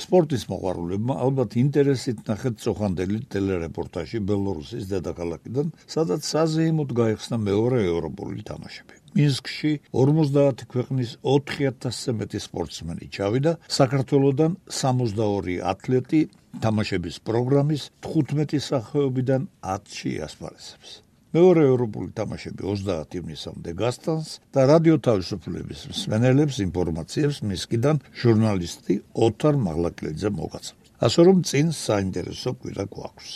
სპორტის მოყვარულებმა ალბათ ინტერესით ნახეთ წოხანდელი ტელერეპორტაჟი ბელორუსის დედაქალაქიდან, სადაც საზეიმოდ გაიხსნა მეორე ევროპული თამაშები. მინსკში 50 ქვეყნის 4000-ზე მეტი სპორტსმენი ჩავიდა, საქართველოდან 62 ათლეტი თამაშების პროგრამის 15 სახეობიდან 10-ში ასპარეზებს. მეორე ევროპული თამაშები 30 ივნისამდე გასტანს და რადიო თავისუფლების მსმენელებს ინფორმაციებს მისკიდან ჟურნალისტი ოთარ მაღლაკლიძე მოგაცემს. ასე რომ წინ საინტერესო კვირა გვაქვს.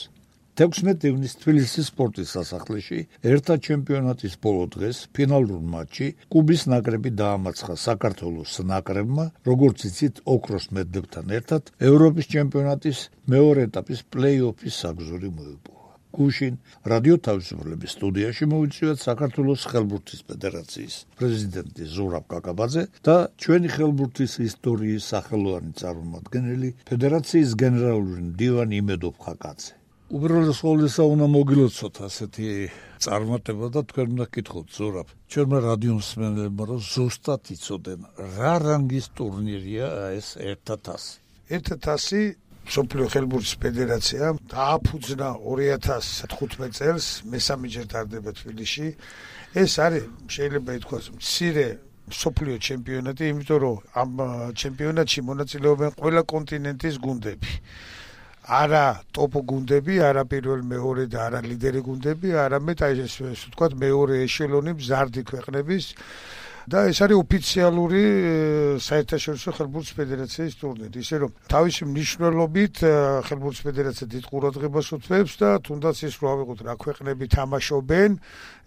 16 ივნის თბილისის სპორტის სასახლეში ერთა ჩემპიონატის ბოლო დღეს ფინალურ მატჩში კუბის ნაკრები დაამარცხა საქართველოს ნაკრებმა, როგორც იცით, ოქროს მედლებთან ერთად ევროპის ჩემპიონატის მეორე ეტაპის პლეი-ოფის საგზური მოიპოვა. გუშინ რადიო თავისუფლების სტუდიაში მოვიწვიეთ საქართველოს ხელბურთის ფედერაციის პრეზიდენტი ზურაბ კაკაბაძე და ჩვენი ხელბურთის ისტორიის სახელოვანი წარმომადგენელი ფედერაციის გენერალური მდივანი იმედოფ ხაკაძე. უბრალოდ ყოველისა უნდა მოგილოცოთ ასეთი წარმატება და თქვენ უნდა გითხოთ ზურაბ. ჩვენმა რადიო მსმენელებმა რომ ზუსტად იცოდნენ რა რანგის ტურნირია ეს ერთა თასი. ერთა თასი მსოფლიო ხელბურთის ფედერაცია დააფუძნა 2015 წელს, მესამეჯერ ტარდება თბილისში. ეს არის შეიძლება ითქვას მცირე მსოფლიო ჩემპიონატი, იმიტომ რომ ამ ჩემპიონატში მონაწილეობენ ყველა კონტინენტის გუნდები. არა ტოპ გუნდები, არა პირველ მეორე და არა ლიდერი გუნდები, არამედ აი ესე ვთქვათ მეორე ეშელონი მზარდი ქვეყნების და ეს არის ოფიციალური საერთაშორისო ხელბურთის ფედერაციის ტურნირი. ისე რომ თავისი მნიშვნელობით ხელბურთის ფედერაცია დიდ ყურადღებას უთმობს და თუნდაც ის რო ავიღოთ რა ქვეყნები თამაშობენ,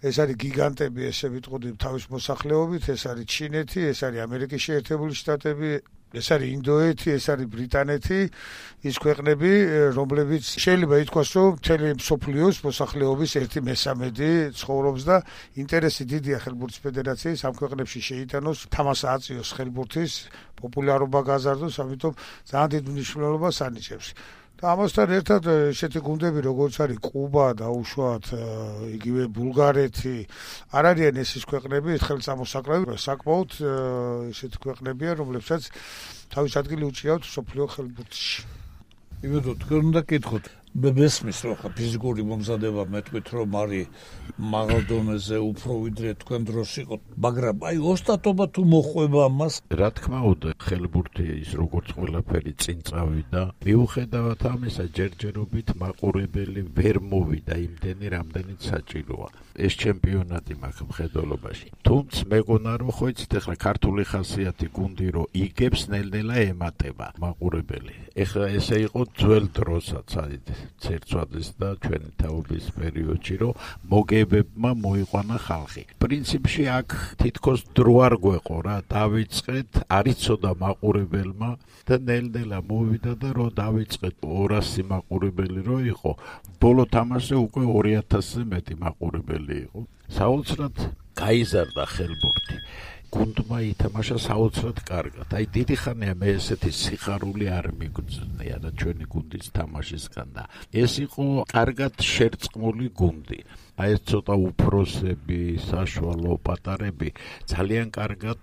ეს არის გიგანტები, ესე ვიტყოდი თავის მოსახლეობით, ეს არის ჩინეთი, ეს არის ამერიკის შეერთებული შტატები, ეს არის ინდოეთი, ეს არის ბრიტანეთი, ის ქვეყნები, რომლებიც შეიძლება ითქვას, რომ მთელი მსოფლიოს მოსახლეობის 1/13 ცხოვრობს და ინტერესი დიდია ხელბურთის ფედერაციის ამ ქვეყნებში შეიტანოს, თამაში აწიოს ხელბურთის პოპულარობა გაზარდოს, ამიტომ ძალიან დიდ მნიშვნელობას ანიჭებს. და ამასთან ერთად ესეთი გუნდები როგორც არის კუბა და უშუალოდ იგივე ბულგარეთი არ არიან ეს ქვეყნები ხელსამოსაკლები, საკმაოდ ესეთი ქვეყნებია, რომლებსაც თავის ადგილი უჭირავთ მსოფლიო ხელბურთში. იმედო თქვენ უნდა გითხოთ მესმის რომ ფიზიკური მომზადება მეტყვით რომ არის მაღალ დონეზე უფრო ვიდრე თქვენ დროს იყო, მაგრამ აი ოსტატობა თუ მოხვება ამას, რა თქმა უნდა, ხელბურთი ის როგორც ყველაფერი წინ წავიდა, მიუხედავად ამისა ჯერჯერობით მაყურებელი ვერ მოვიდა იმდენი, რამდენიც საჭიროა. ეს ჩემპიონატი მაქვს მხედველობაში. თუმცა მეგონა რომ ხო იცით ახლა ქართული ხასიათი გუნდი რომ იგებს ნელ-ნელა ემატება მაყურებელი. ეხლა ესე იყო ძველ დროსაც აი ცერცვადის და ჩვენი თაობის პერიოდში რომ მოგებებმა მოიყვანა ხალხი. პრინციპში აქ თითქოს დრო არ გვეყო რა, დავიწყეთ, არიცოდა მაყურებელმა და ნელ-ნელა მოვიდა და რომ დავიწყეთ 200 მაყურებელი რო იყო, ბოლო თამაშზე უკვე 2000-ზე მეტი მაყურებელი იყო. საოცრად გაიზარდა ხელბურთი. გუნდმა ითამაშა საოცრად კარგად. აი დიდი ხანია მე ესეთი სიხარული არ მიგრძნია და ჩვენი გუნდის თამაშისგან და ეს იყო კარგად შერწყმული გუნდი. აი ეს ცოტა უფროსები, საშუალო პატარები ძალიან კარგად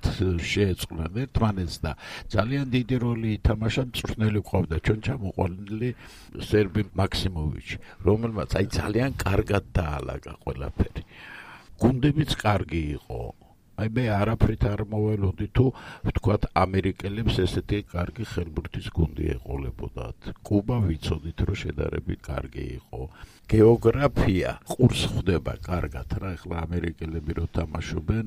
შეეწყნენ ერთმანეთს და ძალიან დიდი როლი ითამაშა მწვრთნელი ყავდა ჩვენ ჩამოყვანილი სერბი მაქსიმოვიჩი, რომელმაც აი ძალიან კარგად დაალაგა ყველაფერი. გუნდებიც კარგი იყო. აი მე არაფრით არ მოველოდი თუ ვთქვათ ამერიკელებს ესეთი კარგი ხელბურთის გუნდი ეყოლებოდათ. კუბა ვიცოდით რომ შედარებით კარგი იყო. გეოგრაფია ყურს ხვდება კარგად რა, ეხლა ამერიკელები რო თამაშობენ,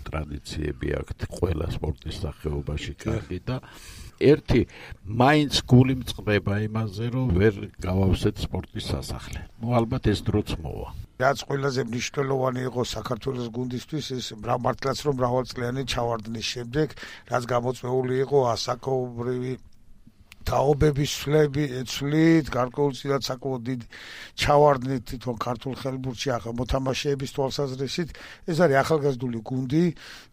ტრადიციები აქვთ ყველა სპორტის სახეობაში კარგი და ერთი მაინც გული მწყდება იმაზე რომ ვერ გავავსეთ სპორტის სასახლე. ნუ ალბათ ეს დროც მოვა. რაც ყველაზე მნიშვნელოვანი იყო საქართველოს გუნდისთვის, ეს მართლაც რომ მრავალწლიანი ჩავარდნის შემდეგ, რაც გამოწვეული იყო ასაკობრივი თაობების ცვლით, გარკვეულწილად საკმაოდ დიდი ჩავარდნით თვითონ ქართულ ხელბურთში მოთამაშეების თვალსაზრისით. ეს არის ახალგაზრდული გუნდი,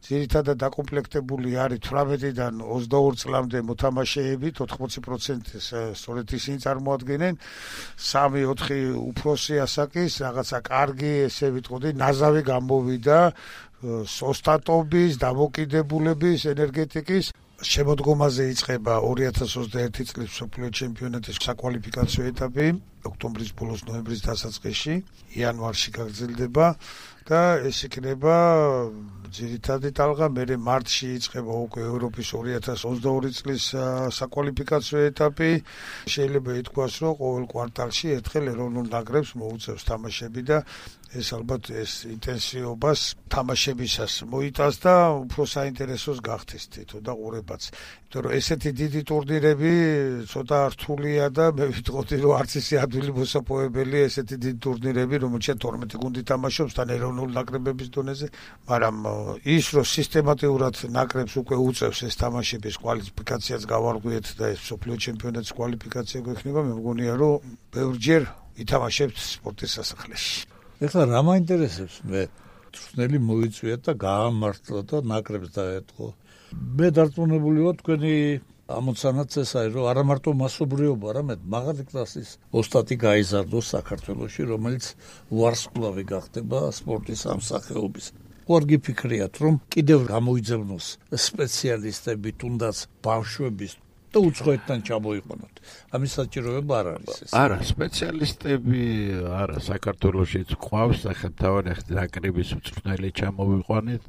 ძირითადად დაკომპლექტებული არის 18-დან 22 წლამდე მოთამაშეებით, 80%-ს სწორედ ისინი წარმოადგენენ, 3-4 უფროსი ასაკის, რაღაცა კარგი, ესე ვიტყოდი, ნაზავი გამოვიდა ოსტატობის, დამოკიდებულების, ენერგეტიკის. შემოდგომაზე იწყება 2021 წლის მსოფლიო ჩემპიონატის საკვალიფიკაციო ეტაპი, ოქტომბრის ბოლოს, ნოემბრის დასაწყისში, იანვარში გაგრძელდება და ეს იქნება ძირითადი ტალღა. მერე მარტში იწყება უკვე ევროპის 2022 წლის საკვალიფიკაციო ეტაპი. შეიძლება ითქვას, რომ ყოველ კვარტალში ერთხელ ეროვნულ ნაკრებს მოუწევს თამაშები და ეს ალბათ ეს ინტენსივობას თამაშებისას მოიტანს და უფრო საინტერესოს გახდეს თითო და ყურებაც. იმიტომ რომ ესეთი დიდი ტურნირები ცოტა რთულია და მე ვიტყოდი რომ არც ისე ადვილი მოსაპოვებელი ესეთი დიდი ტურნირები, რომელშიც 12 გუნდი თამაშობს თან ეროვნულ ნაკრებების დონეზე, მაგრამ ის რომ სისტემატურად ნაკრებს უკვე უწევს ეს თამაშების კვალიფიკაციაც გავარღვიეთ და ეს მსოფლიო ჩემპიონატის კვალიფიკაცია გვექნება, მე მგონია რომ ბევრჯერ ითამაშებთ სპორტის სასახლეში. ეხლა რა მაინტერესებს მე თრთნელი მოიწვია და გაამართლა და ნაკრებს დაეთყო. მე დარწმუნებული ვარ თქვენი ამოცანაც ესაა, რომ არა მარტო მასობრიობა, არამედ მაღალი კლასის ოსტატი გაიზარდოს საქართველოში, რომელიც ვარსკვლავი გახდება სპორტის ამ სახეობის. ვარგი ფიქრიათ, რომ კიდევ გამოიძებნოს სპეციალისტები, თუნდაც ბავშვების და უცხოეთთან ჩამოიყვანოთ. ამის საჭიროება არ არის ეს. არა, სპეციალისტები არა, საქართველოშიც ყავს სახელმთავარი ნაკრების უწვრთნელი ჩამოვიყვანეთ.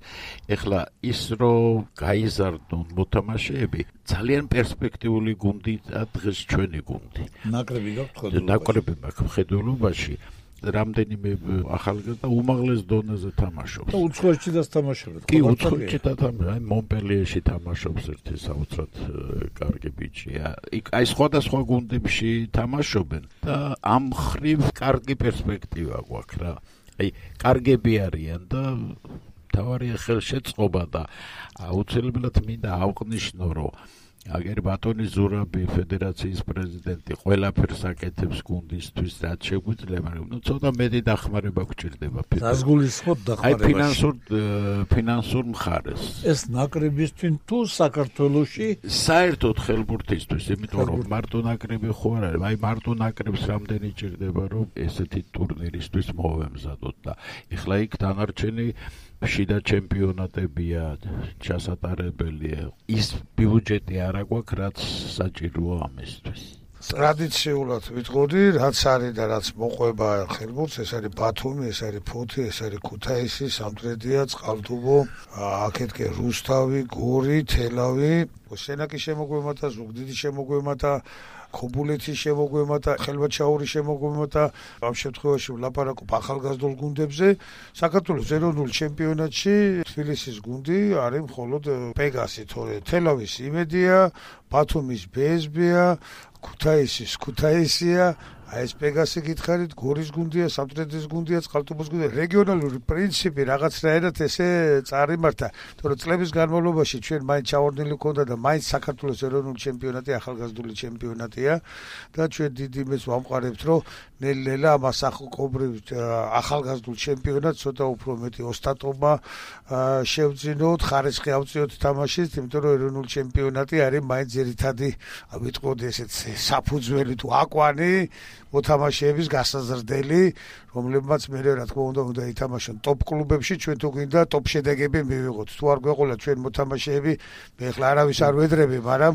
ეხლა ის რომ გაიზარდონ მოთამაშეები, ძალიან პერსპექტიული გუნდია დღეს ჩვენი გუნდი. ნაკრები გაქვთ ხედულობაში. ნაკრები მაქვს ხედულობაში. რამდენიმე ახალგაზრდა უმაღლეს დონეზე თამაშობს. და უცხოეთშიც თამაშობენ. კი, უცხოეთში თამაშობს, მონპელიეში თამაშობს ერთი საოცრად კარგი ბიჭია. აი სხვადასხვა გუნდებში თამაშობენ და ამ ხრივ კარგი პერსპექტივა გვაქვს რა. აი კარგები არიან და თავარია ხელშეწყობა და აუცილებლად მინდა ავყნიშნო, რომ აგერ ბატონი ზურაბი ფედერაციის პრეზიდენტი ყველაფერს აკეთებს გუნდისთვის, რაც შეგვიძლია, მაგრამ ცოტა მეტი დახმარება გვჭირდება. დაზგულისხმოთ დახმარებაში. ფინანსურ მხარეს. ეს ნაკრებისთვის თუ საქართველოში საერთოდ ხელბურთისთვის, იმიტომ რომ მარტო ნაკრები ხო არ არის, აი მარტო ნაკრებს რამდენი ჭირდება, რომ ესეთი ტურნირისთვის მოვემზადოთ და ეხლა იქ დანარჩენი შიდა ჩემპიონატებია, ჩასატარებელია. ის ბიუჯეტი არა გვაქვს, რაც საჭიროა ამისთვის. ტრადიციულად ვიტყოდი, რაც არის და რაც მოყვება ხელბურთს, ეს არის ბათუმი, ეს არის ფოთი, ეს არის ქუთაისი, სამტრედია, წყალტუბო, აქეთკე რუსთავი, გორი, თელავი, სენაკის შემოგვემათა, ზუგდიდის შემოგვემათა, ქობულეთის შემოგვემათა, ხელვაჩაურის შემოგვემათა. ამ შემთხვევაში ვლაპარაკობ ახალგაზრდულ გუნდებზე. საქართველოს ეროვნულ ჩემპიონატში თბილისის გუნდი არის მხოლოდ პეგასი, თორე თელავის იმედია, ბათუმის ბსბ-ია, ქუთაისის ქუთაისია, აი ეს პეგასი გითხარით, გორის გუნდია, სამტრედის გუნდია, წყალტუბოს გუნდია. რეგიონალური პრინციპი რაღაცნაირად ესე წარიმართა, თორე წლების განმავლობაში ჩვენ მაინც ჩავარდნილი გქონდა და მაინც საქართველოს ეროვნული ჩემპიონატი ახალგაზრდული ჩემპიონატია და ჩვენ დიდი იმედს ვამყარებთ, რომ ნელ-ნელა ამ ასაკობრივ ახალგაზრდულ ჩემპიონატს ცოტა უფრო მეტი ოსტატობა შევძინოთ, ხარისხი ავწიოთ თამაშის, იმიტომ რომ ეროვნული ჩემპიონატი არის მაინც ძირითადი, ვიტყოდი ესეც საფუძველი თუ აკვანი მოთამაშეების გასაზრდელი, რომლებმაც მე რა თქმა უნდა ითამაშონ ტოპ კლუბებში, ჩვენ თუ გვინდა ტოპ შედეგები მივიღოთ. თუ არ გვეყოლა ჩვენ მოთამაშეები, მე ახლა არავის არ ვედრები, მაგრამ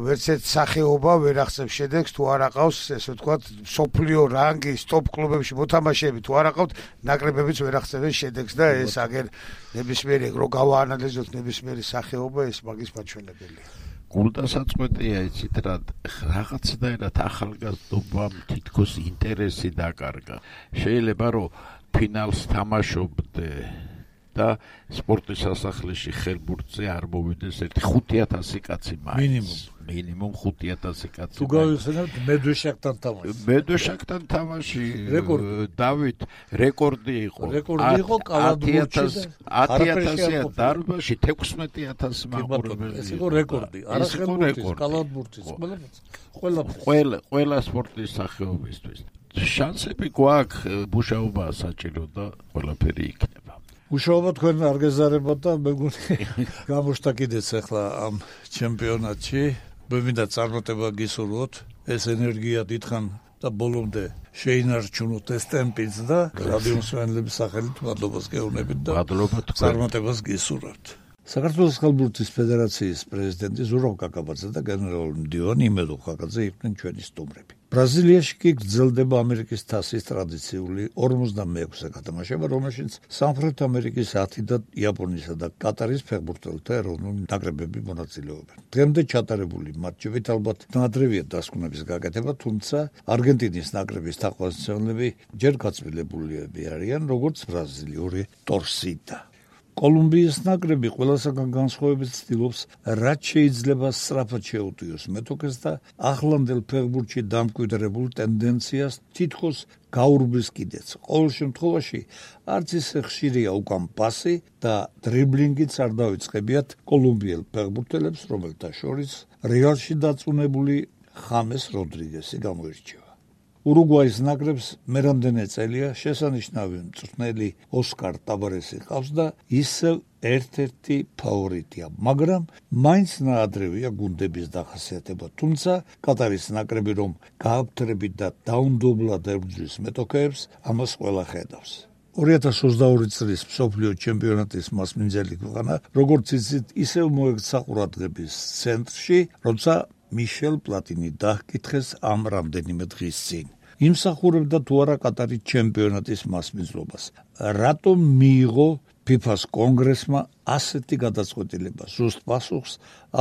ვერც ერთ სახეობა ვერ აღწევს შედეგს, თუ არ აყავს, ესე ვთქვათ, სოფლიო რანგის ტოპ კლუბებში მოთამაშეები, თუ არ აყავთ, ნაკრებებიც ვერ აღწევენ შედეგს და ეს აგერ ნებისმიერი რო გავაანალიზოთ ნებისმიერი სახეობა, ეს მაგის მაჩვენებელია. გულდასაწყვეტია იცით რა, რაღაცნაირად ახალგაზრდობამ თითქოს ინტერესი დაკარგა. შეიძლება რომ ფინალს თამაშობდე და სპორტის სასახლეში ხელბურთზე არ მოვიდეს ერთი 5,000 კაცი მაინც. მინიმუმ 5,000 კაცი. თუ გავიხსენებთ მედვეშაკთან თამაში. მედვეშაკთან თამაში დავით რეკორდი იყო. რეკორდი იყო კალათბურთში 10,000 დარბაზში 16,000 მაყურებელი. ეს იყო რეკორდი. არა ხელბურთის, კალათბურთის, ყველა სპორტის სახეობისთვის. შანსები გვაქვს, მუშაობა საჭირო და ყველაფერი იქნება. მუშაობა თქვენ არ გეზარებათ და მეგონი გამოშთა კიდეც ახლა ამ ჩემპიონატში. მე მინდა წარმატება გისურვოთ, ეს ენერგია დიდხან და ბოლომდე შეინარჩუნოთ ეს ტემპიც და რადიო მსმენელების სახელით მადლობას გეუბნებით და წარმატებას გისურვებთ. საქართველოს ხალბურთის ფედერაციის პრეზიდენტი ზურაბ კაკაბაძე და გენერალური მდივანი იმედო ხაკაძე იყვნენ ჩვენი სტუმრები. ბრაზილიაში კი გრძელდება ამერიკის თასის ტრადიციული 56-ე გათამაშება, რომელშიც სამხრეთ ამერიკის 10 და იაპონიისა და კატარის ფეხბურთელთა ეროვნული ნაკრებები მონაწილეობენ. დღემდე ჩატარებული მატჩებით ალბათ ნადრევია დასკვნების გაკეთება, თუმცა არგენტინის ნაკრების თაყვანისმცემლები ჯერ გაწმილდებულები არიან, როგორც ბრაზილიური ტორსიდა. კოლუმბიის ნაკრები ყველასაგან განსხვავებით ცდილობს, რაც შეიძლება სწრაფად შეუტიოს მეტოქეს და ახლანდელ ფეხბურთში დამკვიდრებულ ტენდენციას თითქოს გაურბის კიდეც. ყოველ შემთხვევაში არც ისე ხშირია უკან პასი და დრიბლინგიც არ დავიწყებიათ კოლუმბიელ ფეხბურთელებს, რომელთა შორის რეალში დაწუნებული ხამეს როდრიგესი გამოირჩევა. ურუგვაის ნაკრებს მერამდენე წელია შესანიშნავი მწვრთნელი ოსკარ ტაბარესი ყავს და ისევ ერთ-ერთი ფავორიტია, მაგრამ მაინც ნაადრევია გუნდების დახასიათება, თუმცა კატარის ნაკრები რომ გააფთრებით და დაუნდობლად ებრძვის მეტოქეებს, ამას ყველა ხედავს. 2022 წლის მსოფლიო ჩემპიონატის მასპინძელი ქვეყანა, როგორც იცით, ისევ მოექცა ყურადღების ცენტრში, როცა მიშელ პლატინი დაჰკითხეს ამ რამდენიმე დღის წინ. იმსახურებდა თუ არა კატარის ჩემპიონატის მასპინძლობას. რატომ მიიღო FIFA-ს კონგრესმა ასეთი გადაწყვეტილება? ზუსტ პასუხს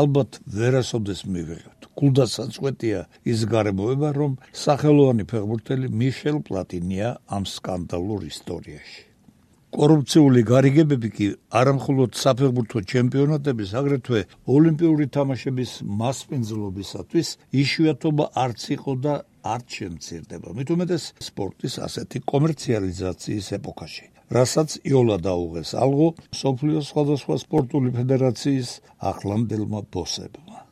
ალბათ ვერასოდეს მივიღებთ. გულდასაწყვეტია ის გარემოება, რომ სახელოვანი ფეხბურთელი მიშელ პლატინია ამ სკანდალურ ისტორიაში. კორუფციული გარიგებები კი არამხოლოდ საფეხბურთო ჩემპიონატების, აგრეთვე ოლიმპიური თამაშების მასპინძლობისათვის იშვიათობა არც იყო და არც შემცირდება. მით უმეტეს სპორტის ასეთი კომერციალიზაციის ეპოქაში, რასაც იოლა დაუღეს ალღო მსოფლიოს სხვადასხვა სპორტული ფედერაციის ახლანდელმა ბოსებმა.